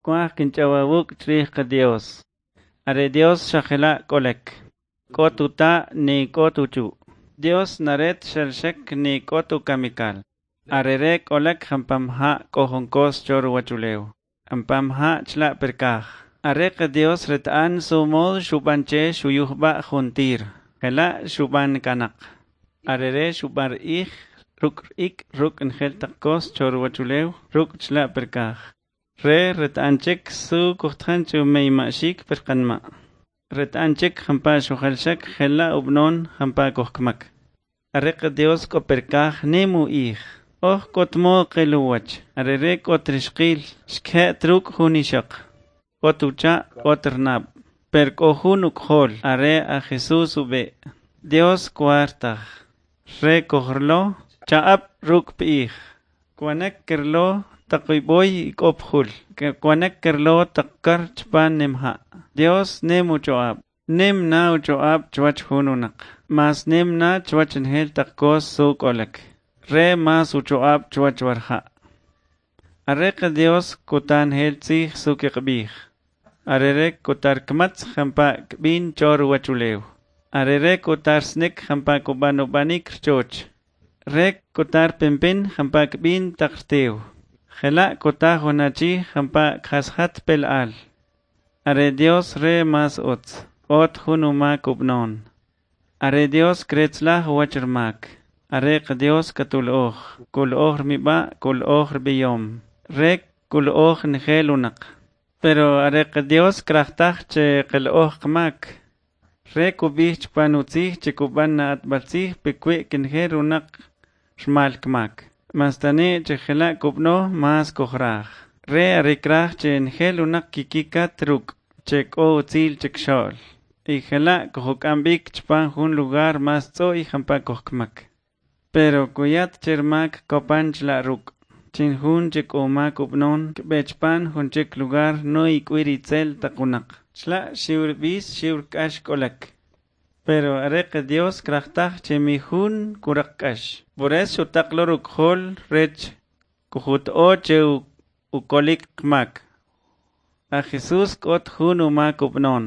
Kwaj kinch'aw awuk' chrij qaDios. Are Dios xa jela' k'olek. K'ot uta' ni k'ot uchu'. Dios naret xalxek ni k'ot ukamikal. Are re k'olek jampam ja' k'o jun kos cho ruwachulew. Jampam ja' chla' perkaj. Are qaDios reta'an su mod xub'an che xuyujb'a' juntir. Jela' xub'an kanaq. Are re xub'an ij ruk' ik' ruk' njel taq kos cho ruwachulew ruk' chla' perkaj. Re reta'an chik su kujtajan che umeyma'xik per qanma'. Reta'an chik jampa' xujalxek jela' ub'non jampa' kujkmak. Are qaDios k'o perkaj nim u'ij. Oj k'ot mod qil uwach. Are re k'ot rixqil xke't ruk' jun ixoq. K'ot ucha' k'ot rnab'. Per k'o jun uk'jol are a Jesús ub'e'. Dios kwar taj. Re kojrilo cha'ab' ruk' p'ij. Kwanek kirlo taq ib'oy ik'o pjul. Kwanek kirlo taq kar chpan nim ja'. Dios nim ucho'ab'. Nim na ucho'ab' chwach jun unaq. Mas nim na chwach njel taq kos su k'olek. Re mas ucho'ab' chwach warja'. Are qaDios kuta njel tzij su kiqb'ij. Are re kutar kmatz jampa' kb'in cho ruwachulew. Are re kutar snik jampa' kub'an ub'anik rchoch. Re kutar pimpin jampa' kb'in taq rtew. Jela' kuta jun achi jampa' kjasjat pel al. Are Dios re mas utz. Ot jun umak ub'non. Are Dios kretzlaj uwach rmak. Are qaDios katul'oj. Kul'oj rmib'a' kul'oj rb'iyom. Re kul'oj njel unaq. Pero are qaDios kraj taj che qil'oj qmak. Re kub'ij chpan utzij che kub'an na atb'al tzij pikwi' kinjel unaq rmal kmak. Mas tane' che jela' kub'no mas kujraj. Re are kraj che njel unaq kikikat ruk' che k'o utzil chikxo'l. Y jela' kujuk'am b'ik chpan jun lugar mas tz'o'y jampa' kujkmak. Pero kuyat che rmak kopan chla' ruk'. Chin jun che k'o mak ub'non kb'e chpan jun chik lugar no ik'wi ritzel taq unaq. Chla' xiw rb'is xiw k'ax k'olek. Pero are qaDios kraj taj che mi jun kuraq k'ax. Por eso xutaq lo ruk'jol rech kujut'o che ukolik qmak. A Jesús k'ot jun umak ub'non.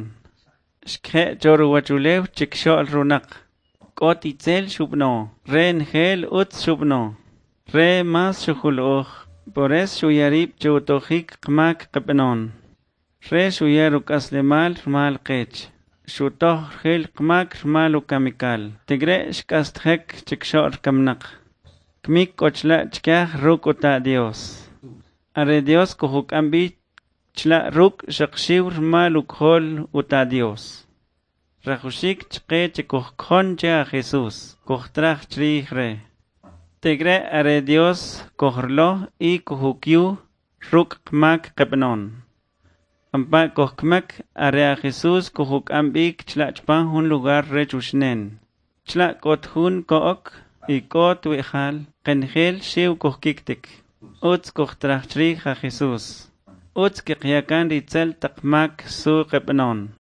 Xkje' cho ruwachulew chikxo'l runaq. K'ot itzel xub'no. Re njel utz xub'no. Re mas xujul'oj. Por eso xuya rib' che utojik qmak qb'non. Re xuya ruk'aslemal rmal qech. Xutoj rjil qmak rmal ukamikal. Tikre' xk'astjek chikxo'l kamnaq. Kmik k'o chla' chkaj ruk' uta' Dios. Are Dios kujuk'am b'i chla' ruk' xaq xiw rmal uk'jol uta' Dios. Rajuxik chqe che kujkjon che a Jesús. Kujtraj chrij re. Tikre' are Dios kujrilo y kujukyu ruk' qmak qb'non. Jampa' kujkmak are a Jesús kujuk'am b'ik chla' chpan jun lugar rech uxnen. Chla' k'ot jun ko'ok y k'ot wi'jal qenjel xiw kujkiktik. Utz kujtraj chrij a Jesús. Utz kiqyakan ritzel taq mak su qb'non.